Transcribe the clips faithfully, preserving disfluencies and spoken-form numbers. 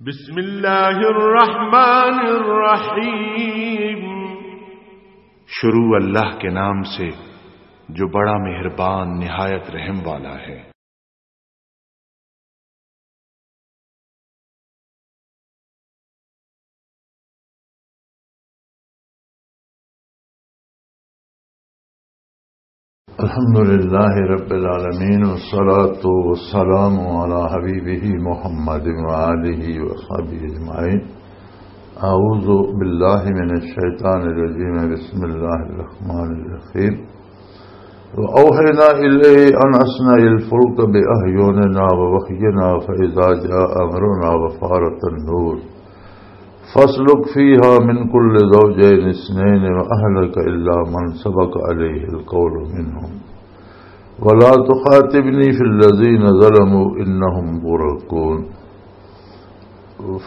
بسم اللہ الرحمن الرحیم۔ شروع اللہ کے نام سے، جو بڑا مہربان، نہایت رحم والا ہے۔ الحمد لله رب العالمين، والصلاة والسلام على حبيبه محمد وآله وصحبه أجمعين. أعوذ بالله من الشيطان الرجيم. بسم الله الرحمن الرحيم. وأوحينا إليه أن أصنع الفلك بأعيننا ووحينا فإذا جاء أمرنا وفارت النور فاسلك فيها من كل زوجين اثنين وأهلك إلا من سبق عليه القول منهم ولا تخاطبني في الذين ظلموا إنهم مغرقون.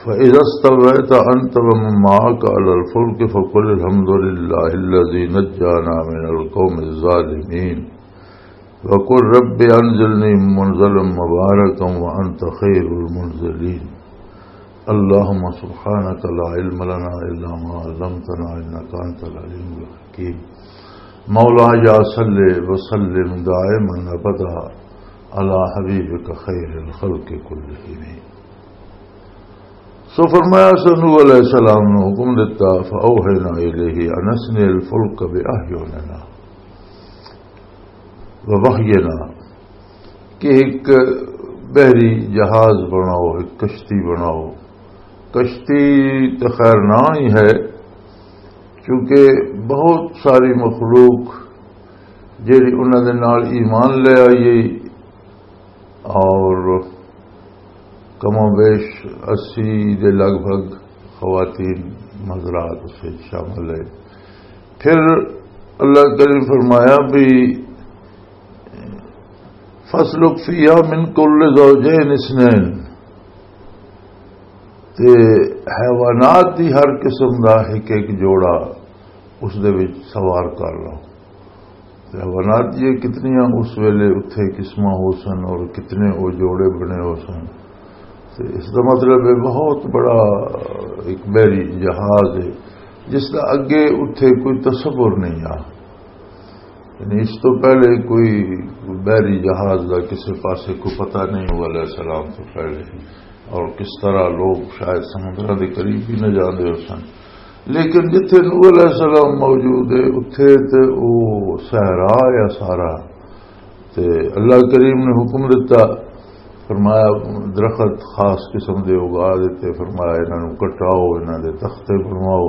فإذا استويت أنت ومن معك على الفلك فقل الحمد لله الذي نجانا من القوم الظالمين. وقل رب أنزلني منزلا مباركا وأنت خير المنزلين. اللهم سبحانك لا علم لنا إلا ما علمتنا إنك أنت العليم الحكيم. مولاي صل وسلم دائما أبدا على حبيبك خير الخلق كلهم. سو فرمایا، سو نوح علیہ السلام نو حکم دتا، فأوحینا الیہ ان اصنع الفلک باعیننا ووحینا، کہ ایک بحری جہاز بناؤ، ایک کشتی بناؤ۔ کشتی تو خیر نہ ہی ہے، کیونکہ بہت ساری مخلوق جیڑی انہاں دے نال ایمان لے آئی اور کم و بیش اسی دے لگ بھگ خواتین مزرات اس وچ شامل ہے۔ پھر اللہ کریم فرمایا بھی، فَاسْلُكْ فِيهَا مِنْ كُلِّ زَوْجَيْنِ اثْنَيْنِ، تے حیوانات دی ہر قسم دا ایک ایک جوڑا اس دے وچ سوار کر لو۔ تے حیوانات یہ کتنیاں اس ویلے اتھے قسماں ہو سن اور کتنے او جوڑے بنے ہو سن۔ تے اس دا مطلب ہے بہت بڑا ایک بحری جہاز ہے، جس دا اگے اتھے کوئی تصور نہیں آ۔ یعنی اس تو پہلے کوئی بحری جہاز دا کسے پاسے کوئی پتہ نہیں ہوا علیہ السلام تو پہلے، اور کس طرح لوگ شاید سمندراں دے قریب بھی نہ جاندے ہو سن۔ لیکن جتھے نوح علیہ السلام موجود ہے، اتھے تے او صحرا یا سارا، تے اللہ کریم نے حکم دتا، فرمایا، درخت خاص قسم دے اگا دیتے، فرمایا، انہاں نوں کٹاؤ، انہاں دے تختے بنواؤ،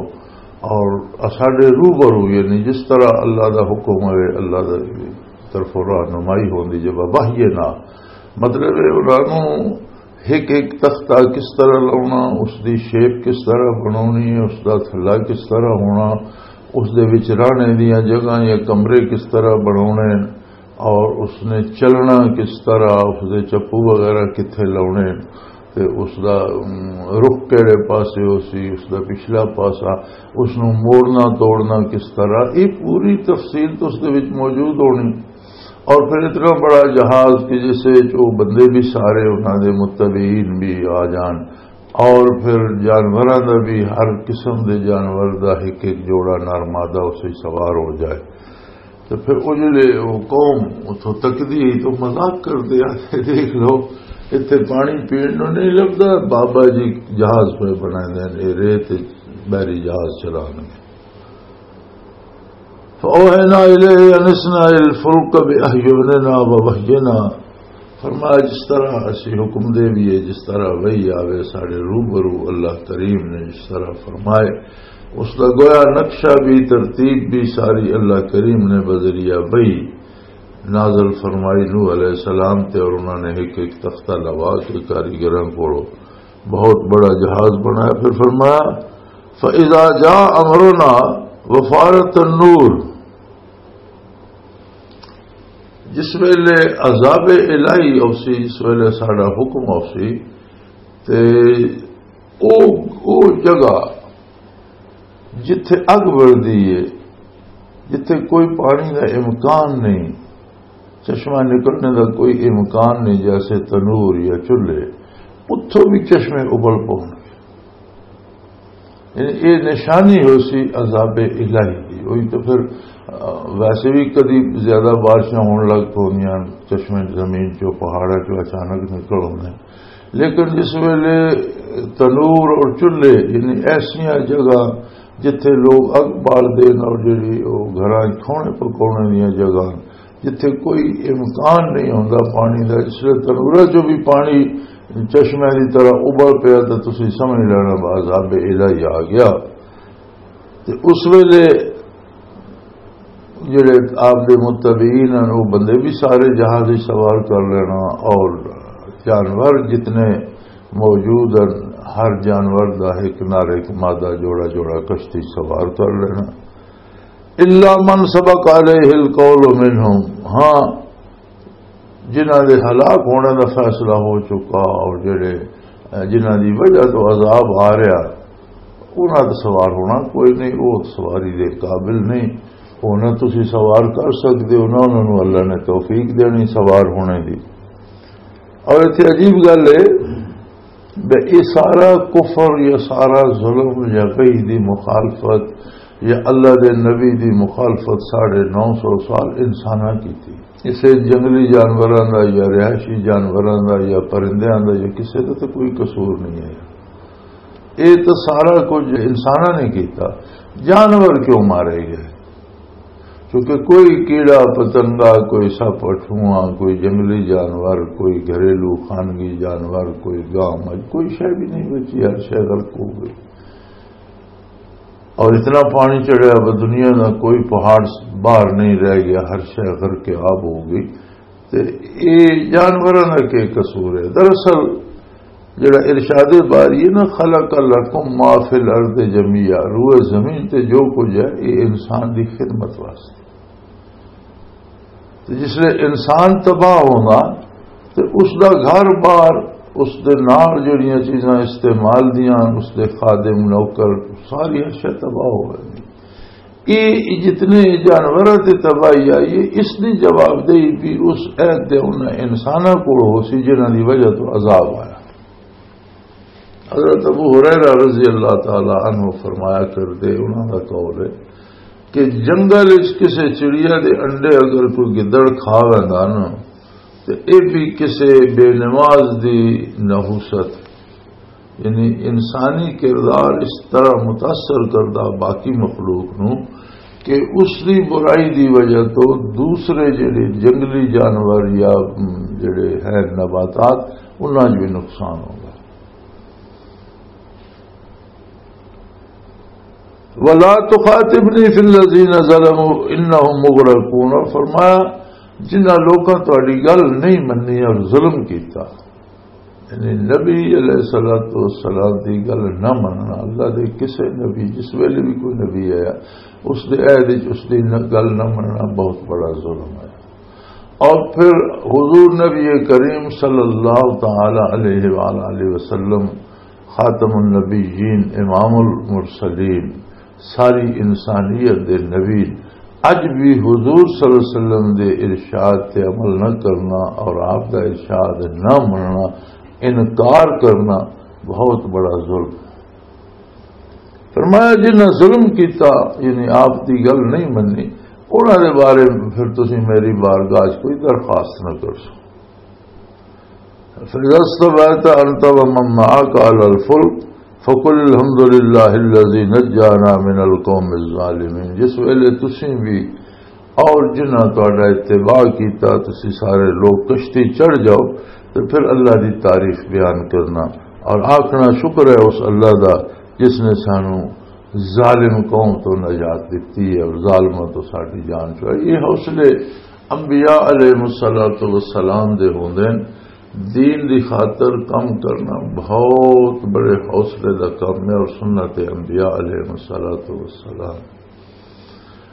اور اساڈے روبرو، یعنی جس طرح اللہ دا حکم ہوئے، اللہ دا طرفوں رہنمائی ہوندی، جب وحی نہ، مطلب ہے، انہاں نوں ایک ایک تختہ کس طرح لاؤنا، اس دی شیپ کس طرح بناونی ہے، اس دا تھلا کس طرح ہونا، اس دے وچ رہنے دیاں جگہاں یا کمرے کس طرح بناونے، اور اس نے چلنا کس طرح، اس دے چپو وغیرہ کتھے لاؤنے، تے اس دا، ام، رخ کہڑے پاسے ہو سی، اس دا پچھلا پاسا، اس نوں موڑنا توڑنا کس طرح، یہ پوری تفصیل تو اس دے وچ موجود ہونی۔ اور پھر اتنا بڑا جہاز کہ جس وچ وہ بندے بھی سارے انہاں دے متبعین بھی آ جان، اور پھر جانوراں دا بھی، ہر قسم دے جانور دا ایک ایک جوڑا نر مادہ اس وچ سوار ہو جائے۔ تو پھر وہ جڑے وہ قوم اتھوں تکدی ہے تو مذاق کردے آ کہ دیکھ لو، اتھے پانی پین نوں نہیں لبدا، بابا جی جہاز پہ بنائے دے نے، ریت وچ بحری جہاز چلانے۔ فأوحينا إليه أن اصنع الفلك بأعيننا ووحينا۔ فرمایا، جس طرح اسی حکم دے بھی ہے، جس طرح وحی آوے ساڈے روبرو، اللہ کریم نے جس طرح فرمائے، اس دا گویا نقشہ بھی، ترتیب بھی ساری اللہ کریم نے بذریعہ وحی نازل فرمائی نوح علیہ السلام تے، اور انہوں نے ایک ایک تختہ لوا کے کاریگراں کولوں بہت بڑا جہاز بنایا۔ پھر فرمایا، فَإِذَا جَاءَ أَمْرُنَا وَفَارَتِ النُّورُ، جس ویلے عذاب الہی اوسی، جس ویلے ساڈا حکم اوسی، تے او، او جگہ جتھے اگ بلدی ہے، جتھے کوئی پانی دا امکان نہیں، چشمہ نکلنے دا کوئی امکان نہیں، جیسے تنور یا چولہے، اتھوں بھی چشمے ابل پون۔ یعنی یہ نشانی ہو سی عذاب الہی دی۔ وہی تو پھر، آ، ویسے بھی کدی زیادہ بارشاں ہون لگ پوندیاں، چشمے زمین چوں، پہاڑاں چوں اچانک نکل آتے ہیں۔ لیکن جس ویلے تنور اور چولہے، یعنی ایسیاں جگہ جتھے لوگ اگ بال دین اور جڑی وہ گھراں کھونے پکونے دیاں جگہ، جتھے کوئی امکان نہیں ہوندا پانی دا، اس لیے تنوراں چوں بھی پانی چشمے دی طرح ابل پیا، تے تسی سمجھ لینا، عذاب الہی آ گیا۔ تے اس ویلے جڑے آپ دے متبعین ہیں، وہ بندے بھی سارے جہاز وچ سوار کر لینا، اور جانور جتنے موجود ہیں، ہر جانور دا ایک نر ایک مادہ، جوڑا جوڑا کشتی سوار کر لینا۔ الا من سبق علیہ القول منہم، ہاں، جنہاں دے ہلاک ہونے دا فیصلہ ہو چکا اور جڑے، جنہاں دی وجہ تو عذاب آ رہا، انہاں تے سوار ہونا کوئی نہیں، وہ سواری دے قابل نہیں، وہ نہ تسی سوار کر سکدے ہو، نہ انہاں نوں اللہ نے توفیق دینی سوار ہونے دی۔ اور اتھے عجیب گل ہے، بے، یہ سارا کفر یا سارا ظلم یا کہیں دی مخالفت یا اللہ دے نبی دی مخالفت ساڑھے نو سو سال انساناں کی تھی۔ اسے جنگلی جانوراں دا یا رہائشی جانوراں دا یا پرندیاں دا یا کسے دا تو کوئی قصور نہیں ہے۔ یہ تو سارا کچھ انساناں نے کیتا۔ جانور کیوں مارے گئے؟ کیونکہ کوئی کیڑا پتنگا، کوئی سپ اٹھواں، کوئی جنگلی جانور، کوئی گھریلو خانگی جانور، کوئی گاں مجھ، کوئی شے بھی نہیں بچی، ہر شے غرق ہو گئی۔ اور اتنا پانی چڑھیا، اب دنیا دا کوئی پہاڑ باہر نہیں رہ گیا، ہر شے غرق آب ہو گئی۔ تے اے جانوراں دا کی قصور ہے؟ دراصل جڑا ارشاد باری ہے نا، "خلق لکم ما فی الارض جمیعا"، روئے زمین تے جو کچھ ہے، یہ انسان دی خدمت واسطے۔ تے جس لے انسان تباہ ہونا، تے اس دا گھر بار، اس دے نال جڑیاں چیزاں استعمال دیاں، اس دے خادم، نوکر، ساری اشیاء تباہ ہو گئی۔ یہ جتنے جانوراں تے تباہی آئی ہے، اس دی جوابدہی بھی اس عہد دے انہاں انساناں کول ہو سی جنہاں دی وجہ تو عذاب آیا۔ حضرت ابو ہریرہ رضی اللہ تعالی عنہ فرمایا کردے، انہاں دا قول ہے کہ جنگل وچ کسے چڑیا دے انڈے اگر کوئی گدڑ کھا ویندا نا، تے اے بھی کسے بے نماز دی نحوست، یعنی انسانی کردار اس طرح متاثر کردا باقی مخلوق نو کہ اس دی برائی دی وجہ تو دوسرے جڑے جنگلی جانور یا، م، جڑے ہیں نباتات، انہاں 'چ بھی نقصان ہوندا۔ "ولا تخاطبنی فی الذین ظلموا انہم مغرقون"، اور فرمایا، جنہاں لوکاں تہاڈی گل نہیں منی اور ظلم کیتا، یعنی نبی علیہ الصلوۃ والسلام دی گل نہ مننا، اللہ دے کسے نبی، جس ویلے بھی کوئی نبی آیا، اس دے عہد وچ اس دی نہ، گل نہ مننا بہت بڑا ظلم ہے۔ اور پھر حضور نبی کریم صلی اللہ تعالی علیہ وآلہ وسلم، خاتم النبیین، امام المرسلین، ساری انسانیت دے نبی، اج بھی حضور صلی اللہ علیہ وسلم دے ارشاد تے عمل نہ کرنا اور آپ دا ارشاد نہ مننا، انکار کرنا بہت بڑا ظلم ہے۔ فرمایا، جنہاں ظلم کیتا، یعنی آپ دی گل نہیں منی، انہاں دے بارے پھر تسی میری بارگاہ 'چ کوئی درخواست نہ کر سکو۔ فَإِذَا اسْتَوَيْتَ أَنْتَ وَمَنْ مَعَكَ عَلَى الْفُلْكِ فَقُلِ الْحَمْدُ لِلَّهِ الَّذِي نَجَّانَا مِنَ الْقَوْمِ الظَّالِمِينَ۔ جس ویلے تسی بھی اور جنہاں تہاڈا اتباع کیتا، تسی سارے لوگ کشتی چڑھ جاؤ، تے پھر اللہ دی تعریف بیان کرنا اور آکھنا، "شکر ہے اس اللہ دا جس نے سانو ظالم قوم تو نجات دتی ہے اور ظالماں تو ساڈی جان چھڑائی۔" یہ حوصلے انبیاء علیہ الصلوۃ والسلام دے ہوندے نے۔ دین دی خاطر کم کرنا بہت بڑے حوصلے دا کم ہے اور سنت انبیاء علیہ الصلوۃ والسلام۔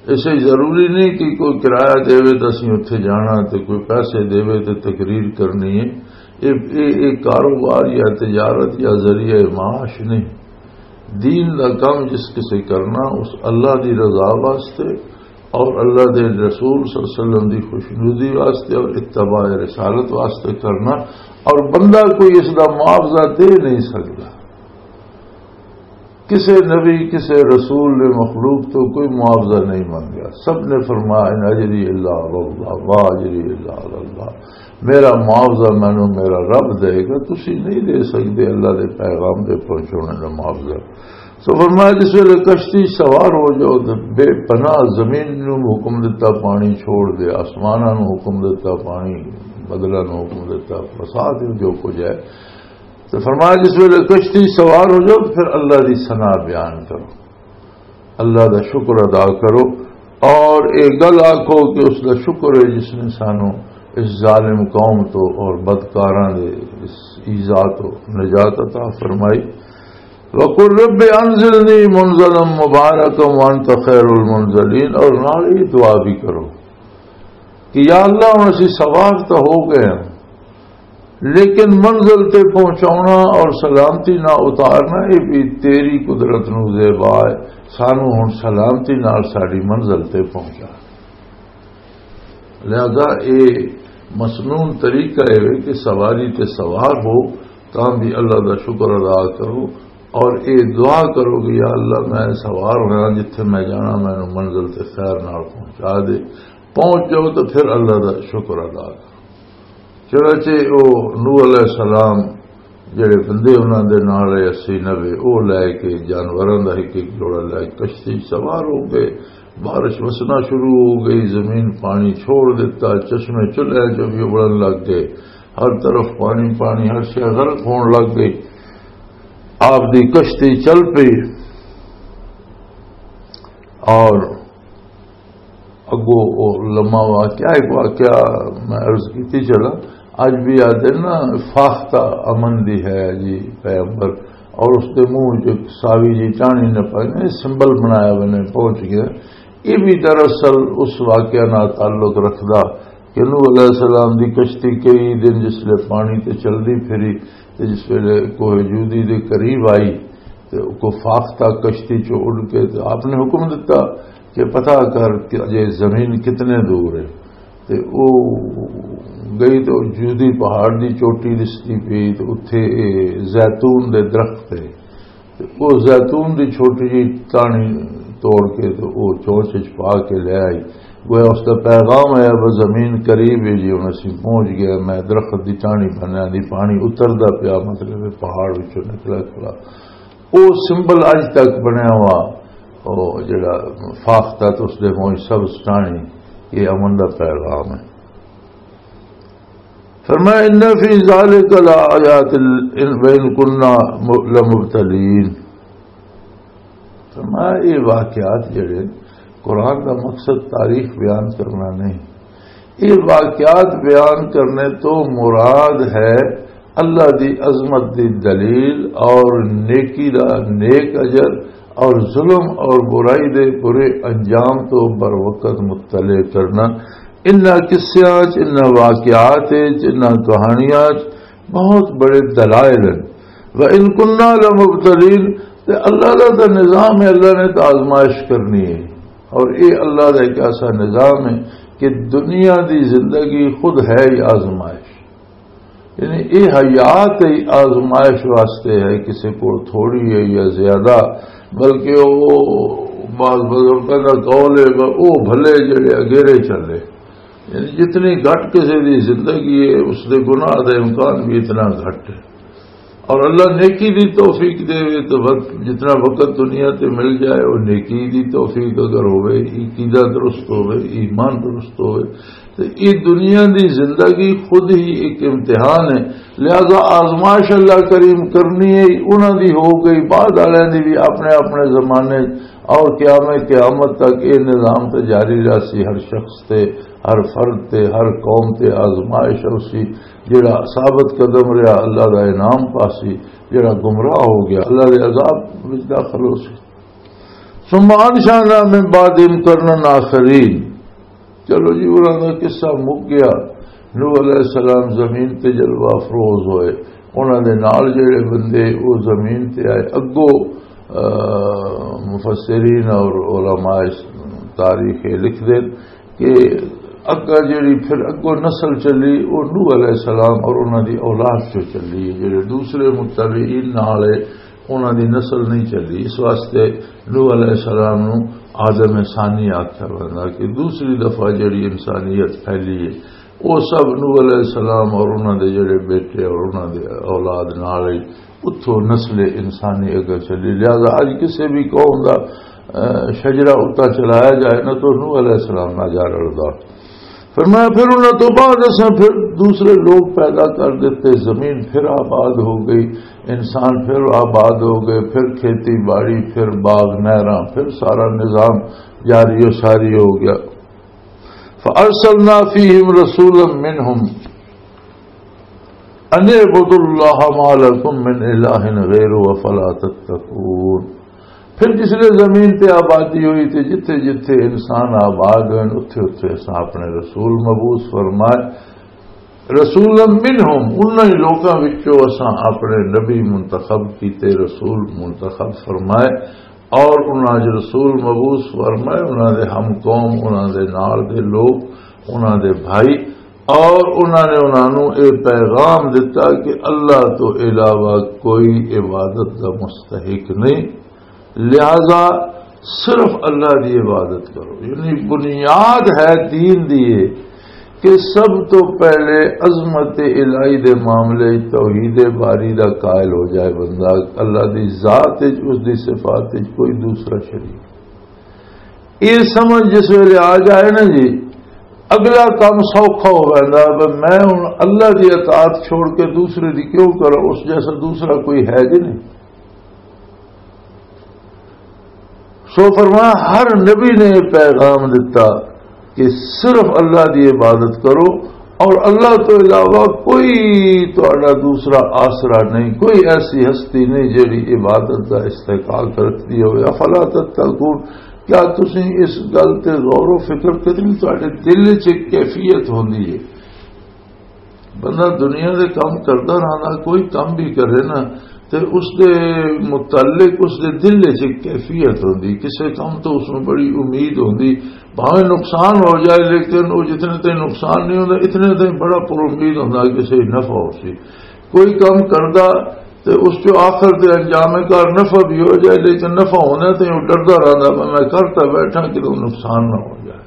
اسے ضروری نہیں کہ کوئی کرایہ دے تو اسی اتھے جانا، تے کوئی پیسے دے تو تقریر کرنی ہے۔ یہ، یہ، یہ کاروبار یا تجارت یا ذریعہ معاش نہیں۔ دین دا کم جس کسے کرنا، اس اللہ دی رضا واسطے، اور اللہ دے رسول صلی اللہ علیہ وسلم دی خوشنودی واسطے اور اتباع رسالت واسطے کرنا، اور بندہ کوئی اس دا معاوضہ دے نہیں سکدا۔ کسے نبی، کسے رسول نے مخلوق تو کوئی معاوضہ نہیں منگیا۔ سب نے فرمایا، "ان اجری الا علی اللہ، ما اجری الا علی اللہ۔" میرا معاوضہ مینوں میرا رب دے گا، تسی نہیں دے سکدے اللہ دے پیغام دے پہنچانے دا معاوضہ۔ سو فرمایا، جس ویلے کشتی سوار ہو جاؤ تو بے پناہ زمین نوں حکم دتا پانی چھوڑ دے، آسماناں نوں حکم دتا پانی، بدلاں نوں حکم دتا، فساد جو کچھ ہے۔ تو فرمایا، جس ویلے کشتی سوار ہو جاؤ تو پھر اللہ دی ثنا بیان کرو، اللہ دا شکر ادا کرو، اور ایک گل آکھو کہ اس دا شکر ہے جس نے سانو اس ظالم قوم تو اور بدکاراں دے اس ایذا تو نجات عطا فرمائی۔ وَقُلْ رَبِّ أَنزِلْنِي مُنزَلًا مُبَارَكًا وَأَنْتَ خَيْرُ الْمُنزِلِينَ، اور نال یہ دعا بھی کرو کہ یا اللہ، ہن اسی سوار تو ہو گئے ہیں، لیکن منزل تے پہنچاونا اور سلامتی نہ اتارنا، یہ بھی تیری قدرت نو زیبا ہے۔ سانو ہن سلامتی نال ساڈی منزل تے پہنچا۔ لہذا اے مسنون طریقہ ہے کہ سواری تے سوار ہو تاں بھی اللہ دا شکر ادا کرو، اور اے دعا کرو کہ یا اللہ، میں سوار ہویا، جتھے میں جانا، مینوں منزل تے خیر نال پہنچا دے۔ پہنچ جاؤ تو پھر اللہ دا شکر ادا کرو۔ چنانچہ او نوح علیہ السلام جڑے بندے انہاں دے نال اے اسی نوے، او لے کے جانوراں دا ایک ایک جوڑا لے کے کشتی سوار ہو گئے۔ بارش وسنا شروع ہو گئی، زمین پانی چھوڑ دیتا، چشمے چلے جو بھی ابلن لگ گئے، ہر طرف پانی پانی، ہر شے غرق ہون لگ گئی۔ آپ دی کشتی چل پئی اور اگو او لمحہ واقعہ، ایک واقعہ میں عرض کیتی چلا، اج بھی آتے نا، فاختہ امن دی ہے جی پیغمبر، اور اس دے منہ چ ساوی جی ٹانی نہ پائے، سمبل بنایا بنے پہنچ گیا۔ یہ بھی دراصل اس واقعہ نال تعلق رکھدا کہ نوح علیہ السلام دی کشتی کئی دن جس لے پانی تے چلدی پھری، تے جس ویلے کوہ جودی دے قریب آئی، تے کو فاختہ کشتی چوں اڈ کے تے آپ نے حکم دتا کہ پتہ کر کہ اجے زمین کتنے دور ہے۔ تے او گئی تے او جودی پہاڑ دی چوٹی دستی پئی تے اتھے اے زیتون دے درخت ہے۔ تے او زیتون دی چھوٹی جی ٹانی توڑ کے تے او چونچ وچ پا کے لے آئی۔ گویا اس دا پیغام ہے، "وہ زمین قریب ہے جی، ہن اسی پہنچ گئے، میں درخت دی ٹانی بنیا دی، پانی اتردا پیا، مطلب ہے پہاڑ وچوں نکلا کھڑا۔" او سمبل اج تک بنیا ہوا، او جڑا فاختہ تے اس دے موج سبز ٹانی، یہ امن دا پیغام ہے۔ فرمایا، "ان فی ذالک لآیات وان کنا لمبتلین۔" فرمایا، یہ واقعات جڑے، قرآن کا مقصد تاریخ بیان کرنا نہیں، یہ واقعات بیان کرنے تو مراد ہے اللہ دی عظمت دی دلیل اور نیکی دا نیک اجر اور ظلم اور برائی دے برے انجام تو بر وقت مطلع کرنا۔ انہاں قصیاں چ، انہاں واقعات چ، انہاں کہانیاں چ بہت بڑے دلائل ہیں۔ وَإِن كُنَّا لَمُبْتَلِينَ، تے اللہ دا تے نظام ہے، اللہ نے تو آزمائش کرنی ہے۔ اور یہ اللہ دا ایک ایسا نظام ہے کہ دنیا دی زندگی خود ہے ہی آزمائش۔ یعنی یہ حیات ہی آزمائش واسطے ہے، کسی کو تھوڑی ہے یا زیادہ، بلکہ وہ بعض بزرگوں کا قول ہے کہ وہ بھلے جڑے اگیرے چلے۔ یعنی جتنی گھٹ کسی دی زندگی ہے، اس دے گناہ دا امکان بھی اتنا گھٹ ہے۔ اور اللہ نیکی دی توفیق دے وے تو وقت، جتنا وقت دنیا تے مل جائے، وہ نیکی دی توفیق اگر ہوئے، عقیدہ درست ہوئے، ایمان درست ہوئے، تو یہ دنیا دی زندگی خود ہی ایک امتحان ہے۔ لہذا آزمائش اللہ کریم کرنی ہے، انہاں دی ہو گئی، بعد والے دی بھی اپنے اپنے زمانے اور قیام قیامت تک یہ نظام تو جاری رہسی، ہر شخص تے، ہر فرد تے، ہر قوم تے آزمائش ہوسی۔ جڑا ثابت قدم رہا، اللہ دا انعام پاسی، جڑا گمراہ ہو گیا، اللہ دے عذاب وچ داخل ہوسی۔ ثم انشأنا من بعدهم قرنا آخرین۔ چلو جی، انہاں دا قصہ مک گیا۔ نوح علیہ السلام زمین تے جلوہ افروز ہوئے، انہاں دے نال جڑے بندے وہ زمین تے آئے۔ اگو، آ، مفسرین اور علماء اس تاریخ یہ لکھ دے کہ اگا جڑی پھر اگوں نسل چلی، وہ نوح علیہ السلام اور انہاں دی اولاد چوں چلی ہے۔ جڑے دوسرے متبعین نال ہے، انہاں دی نسل نہیں چلی۔ اس واسطے نوح علیہ السلام نو آدم ثانی آکھیا ویندا کہ دوسری دفعہ جڑی انسانیت پھیلی ہے، وہ سب نوح علیہ السلام اور انہاں دے جڑے بیٹے اور انہاں دے اولاد نال ہی اتھوں نسل انسانی اگر چلی۔ لہذا اج کسے بھی قوم دا، اہ، شجرہ اتنا چلایا جائے نا، تو نوح علیہ السلام نہ جا رلدا۔ فرمایا، پھر انہاں تو بعد اساں پھر دوسرے لوگ پیدا کر دیتے، زمین پھر آباد ہو گئی، انسان پھر آباد ہو گئے، پھر کھیتی باڑی، پھر باغ نہراں، پھر سارا نظام جاری و ساری ہو گیا۔ فَأَرْسَلْنَا فِيهِمْ رَسُولًا مِّنْهُمْ أَنِ اعْبُدُوا اللَّهَ مَا لَكُم مِّنْ إِلَٰهٍ غَيْرُهُ أَفَلَا تَتَّقُونَ۔ پھر جس لئے زمین تے آبادی ہوئی تے جتھے جتھے انسان آباد ہوئے، اتھے اتھے اساں اپنے رسول مبعوث فرمائے۔ رسولا منہم، انہاں ہی لوکاں وچوں اساں اپنے نبی منتخب کیتے، رسول منتخب فرمائے، اور انہاں جو رسول مبعوث فرمائے، انہاں دے ہم قوم، انہاں دے نال دے لوگ، انہاں دے بھائی، اور انہاں نے انہاں نوں اے پیغام دتا کہ اللہ تو علاوہ کوئی عبادت دا مستحق نہیں، لہذا صرف اللہ دی عبادت کرو۔ یعنی بنیاد ہے دین دی یہ کہ سب تو پہلے عظمت الہی دے معاملے وچ توحید باری دا قائل ہو جائے بندہ، اللہ دی ذات وچ، اس دی صفات وچ کوئی دوسرا شریک۔ یہ سمجھ جس ویلے آ جائے نا جی، اگلا کام سوکھا ہو ویندا، بھی میں ہن اللہ دی اطاعت چھوڑ کے دوسرے دی کیوں کراں، اس جیسا دوسرا کوئی ہے جی نہیں۔ سو فرمایا، ہر نبی نے یہ پیغام دتا کہ صرف اللہ دی عبادت کرو اور اللہ تو علاوہ کوئی تہاڈا دوسرا آسرا نہیں، کوئی ایسی ہستی نہیں جیڑی عبادت دا استحقاق رکھدی ہوئے۔ افلا تتقون، کیا تسی اس گل تے غور و فکر کرتے نہیں؟ تہاڈے دل وچ ایک کیفیت ہوندی ہے۔ بندہ دنیا دے کم کردا رہندا، کوئی کم بھی کرے نا، تے اس دے متعلق اس دے دل وچ ایک کیفیت ہوندی، کسے کم تو اس نوں بڑی امید ہوندی، بھاویں نقصان ہو جائے، لیکن وہ جتنے تائیں نقصان نہیں ہوندا، اتنے تائیں بڑا پر امید ہوندا کہ صحیح نفع ہو سی۔ کوئی کم کردا تے اس چوں آخر تے انجام کار نفع بھی ہو جائے، لیکن نفع ہونے تے وہ ڈردا رہندا، میں کرتا بیٹھا کہ نقصان نہ ہو جائے۔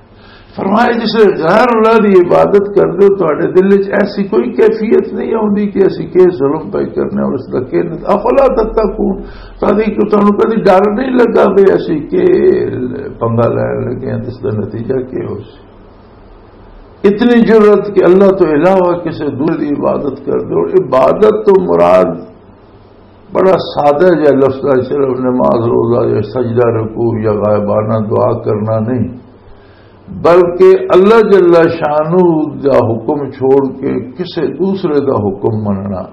فرمایا، جس غیر اللہ دی عبادت کر دے، تہاڈے دل وچ ایسی کوئی کیفیت نہیں آوندی کہ اسی کے ظلم پہ کرنے اور اس دا کے نت-، افلا تتقون، تاکہ کہ تانوں کدی ڈر نہیں لگا بھی اسی کے پنگا لین لگے ہیں، اس دا نتیجہ کیا ہو سی؟ اتنی جرأت کہ اللہ تو علاوہ کسی دور دی عبادت کر دے۔ اور عبادت تو مراد بڑا سادہ جہا لفظ ہے، صرف نماز، روزہ یا سجدہ، رکوع یا غائبانہ دعا کرنا نہیں، بلکہ اللہ جل شانہ دا حکم چھوڑ کے کسے دوسرے دا حکم مننا،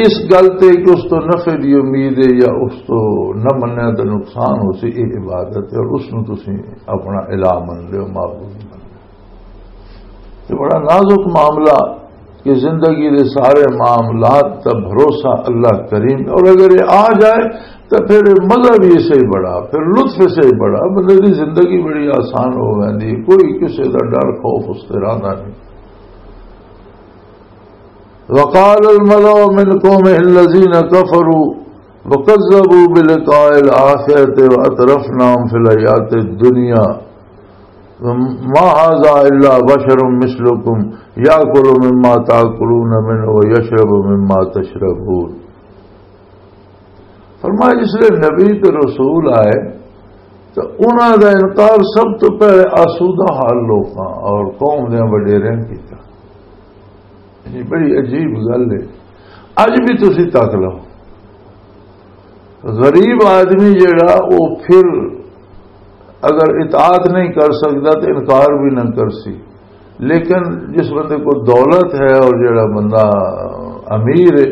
اس گل تے کہ اس تو نفع دی امید ہے یا اس تو نہ منیا تو نقصان ہو سی، یہ عبادت ہے اور اس نو تسی اپنا الہ من لیو، معبود من لیو۔ یہ بڑا نازک معاملہ کہ زندگی دے سارے معاملات دا بھروسہ اللہ کریم، اور اگر یہ آ جائے تو پھر مزہ بھی اسے ہی بڑا، پھر لطف اسے ہی بڑا، بندے دی زندگی بڑی آسان ہو ویندی، کوئی کسے دا ڈر خوف اس تے رہندا نہیں۔ وقال الملأ من قومه الذين كفروا وكذبوا بلقاء الآخرة وأترفناهم في الحياة الدنيا ما هذا إلا بشر مثلكم يأكل مما تأكلون منه ويشرب مما تشربون۔ فرمایا، جس لئے نبی تے رسول آئے تو انہاں دا انکار سب تو پہلے آسودہ حال لوکاں اور قوم دے وڈیریں کیتا۔ یہ بڑی عجیب گل ہے۔ اج بھی تسی تک لو، غریب آدمی جڑا، وہ پھر اگر اطاعت نہیں کر سکتا تو انکار بھی نہ کر سی، لیکن جس بندے کو دولت ہے اور جڑا بندہ امیر ہے،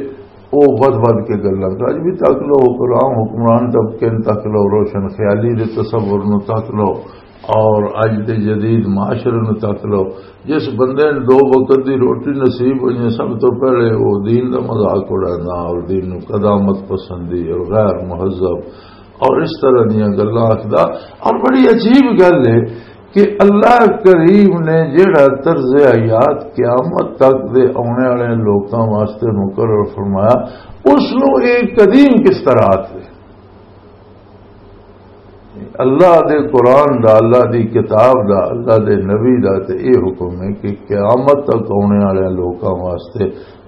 وہ ود ود کے گلاں کر۔ اج بھی تک لو، حکمران، حکمران طبقے نوں تک لو، روشن خیالی دے تصور نوں تک لو، اور اج دے جدید معاشرے نوں تک لو، جس بندے نے دو وقت دی روٹی نصیب ہوئی ہے، سب تو پہلے وہ دین دا مذاق اڑانا اور دین نوں قدامت پسندی اور غیر مہذب اور اس طرح دیاں گلاں آکھدا۔ اور بڑی عجیب گل ہے کہ اللہ کریم نے جیڑا طرز حیات قیامت تک دے آنے والے لوکاں واسطے مقرر فرمایا، اس نو ایک قدیم کس طرح آکھ دے؟ اللہ دے قرآن دا، اللہ دی کتاب دا، اللہ دے نبی دا تے اے حکم ہے کہ قیامت تک آنے والے لوکاں واسطے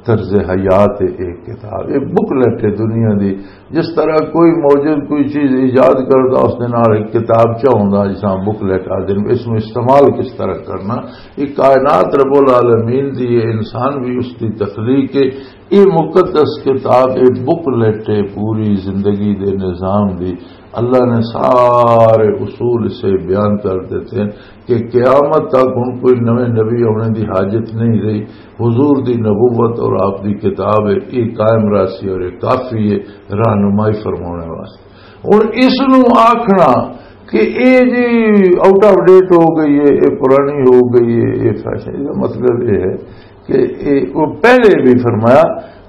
طرز حیات ہے ایک کتاب، ایک بکلیٹ ہے دنیا دی۔ جس طرح کوئی موجود کوئی چیز ایجاد کردا، اس دے نال ایک کتابچہ ہوندا، جس طرح بکلیٹ آدھے نے، اس نوں استعمال کس طرح کرنا، یہ کائنات رب العالمین دی، یہ انسان بھی اس دی تخلیق ہے۔ یہ مقدس کتاب، یہ بکلیٹ ہے پوری زندگی دے نظام دی۔ اللہ نے سارے اصول اسے بیان کر دیتے ہیں کہ قیامت تک ہن کوئی نویں نبی آنے دی حاجت نہیں رہی۔ حضور دی نبوت اور آپ دی کتاب ہے، یہ قائم راسی اور یہ کافی ہے رہنمائی فرمانے واسطے۔ ہن اس نو آکھنا کہ اے جی آؤٹ آف ڈیٹ ہو گئی ہے، اے پرانی ہو گئی ہے، اے فیشن، اس دا مطلب یہ ہے کہ اے، وہ پہلے بھی فرمایا،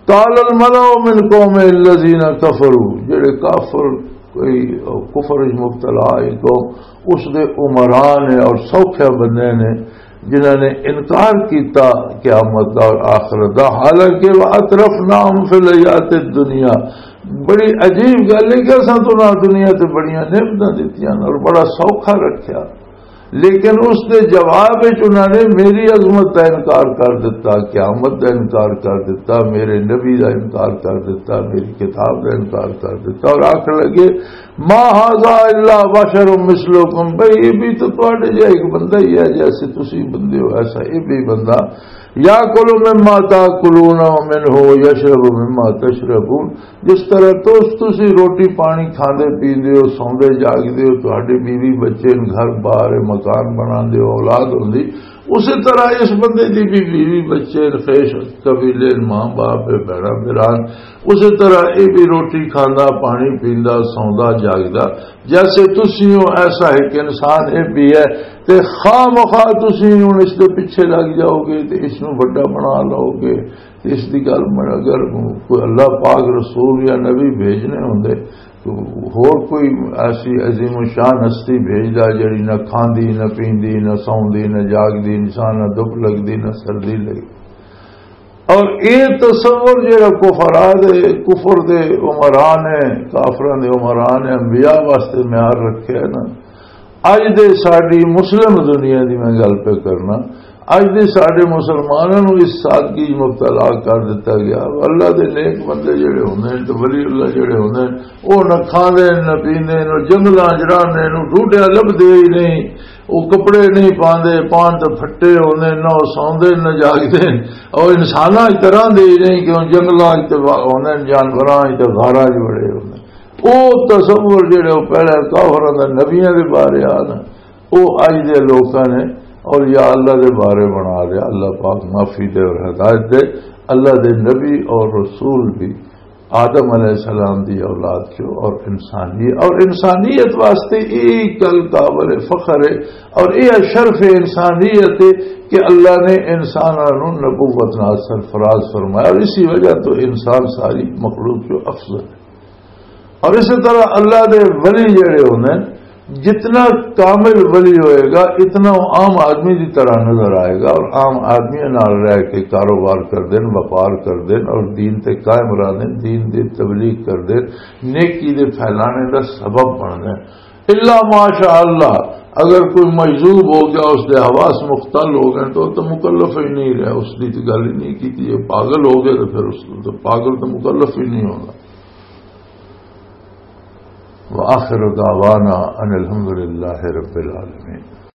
"قال الملأ من قوم الذين كفروا"، جڑے کافر، کوئی کفر وچ مبتلا ہے قوم، اس دے عمران ہے اور سوکھے بندے نے، جنہاں نے انکار کیتا قیامت دا اور آخرت دا، حالانکہ "وأترفناهم في الحياة الدنيا"، بڑی عجیب گل ہے کہ اساں تو نہ دنیا تے بڑیاں نعمتاں دتیاں اور بڑا سوکھا رکھیا، لیکن اس دے جواب وچ انہاں نے میری عظمت دا انکار کر دتا، قیامت دا انکار کر دتا، میرے نبی دا انکار کر دتا، میری کتاب دا انکار کر دتا، اور آکھن لگے، "ما هذا إلا بشر مثلكم"، بھئی، یہ بھی تو تواڈے جہا ایک بندہ ہی ہے، جیسے تسی بندے ہو، ایسا یہ بھی بندہ، "يأكل مما تأكلون منه ويشرب مما تشربون"، جس طرح تو تسی روٹی پانی کھاندے پیندے ہو، سوندے جاگدے ہو، تہاڈے بیوی بچے نے، گھر بار ہے، مکان بناندے ہو، اولاد ہوندی، اسی طرح اس بندے دی بھی بیوی بچے نے، خیش قبیلے نے، ماں باپ ہے، بھیڑا بھران، اسی طرح یہ بھی روٹی کھاندا، پانی پیندا، سوندا جاگدا، جیسے تسی ہو ایسا ایک انسان یہ بھی ہے۔ تے خواہ مخواہ تسی ہن اس دے پیچھے لگ جاؤ گے تے اس نوں وڈا بنا لو گے۔ تے اس دی گل من-، اگر کوئی اللہ پاک رسول یا نبی بھیجنے ہوندے تو ہور کوئی ایسی عظیم الشان ہستی بھیجدا جڑی نہ کھاندی، نہ پیندی، نہ سوندی، نہ جاگدی، انسان نہ دھپ لگدی، نہ سردی لگدی۔ اور اے تصور جڑا کفرا دے، کفر دے عمران ہے، کافراں دے عمران ہے، انبیاء واسطے معیار رکھے ہے نا۔ اج دے ساڈی مسلم دنیا دی میں گل پہ کرنا، اج دے ساڈے مسلماناں نوں اس سادگی وچ مبتلا کر دتا گیا۔ اللہ دے نیک بندے جڑے ہوندے نے تے ولی اللہ جڑے ہوندے نے، او نہ کھاندے نے، نہ پیندے نے، او جنگلاں وچ رہندے نے، او ڈوڈیاں لبھدے ہی نہیں۔ وہ کپڑے نہیں پاندے، پان تے پھٹے ہوندے، نہ وہ سوندے نہ جاگدے۔ اور انساناں اس طرح دے ہی نہیں کہ وہ جنگلاں وچ تے وا-، ہوندے، جانوراں وچ تے غاراں وچ بڑے ہوندے۔ وہ تصور جڑے وہ پہلے کافراں دے نبیاں دے بارے آ نا، وہ اج دے لوکاں نے اور یا اللہ دے بارے بنا لیا۔ اللہ پاک معافی دے اور ہدایت دے۔ اللہ دے نبی اور رسول بھی آدم علیہ السلام دی اولاد چو اور انسانیت، اور انسانیت واسطے یہ گل قابل فخر ہے اور یہ شرف انسانیت ہے کہ اللہ نے انساناں نوں نبوت نال سرفراز فرمایا، اور اسی وجہ تو انسان ساری مخلوق چو افضل ہے۔ اور اسی طرح اللہ دے ولی جڑے ہوندے نے، جتنا کامل ولی ہوئے گا، اتنا وہ عام آدمی دی طرح نظر آئے گا، اور عام آدمی نال رہ کے کاروبار کر دین، وپار کر دین، اور دین تے قائم رہ دین، دین دی تبلیغ کر دین، نیکی دے پھیلانے دا سبب بن دین۔ الا ماشاء اللہ، اگر کوئی مجذوب ہو گیا، اس دے حواس مختل ہو گئے، تو، تو مکلف ہی نہیں رہا، اس دی تو گل ہی نہیں کی، یہ پاگل ہو گئے، تو پھر اس تو پاگل تو مکلف ہی نہیں ہونا۔ وآخر دعوانا ان الحمد للہ رب العالمین۔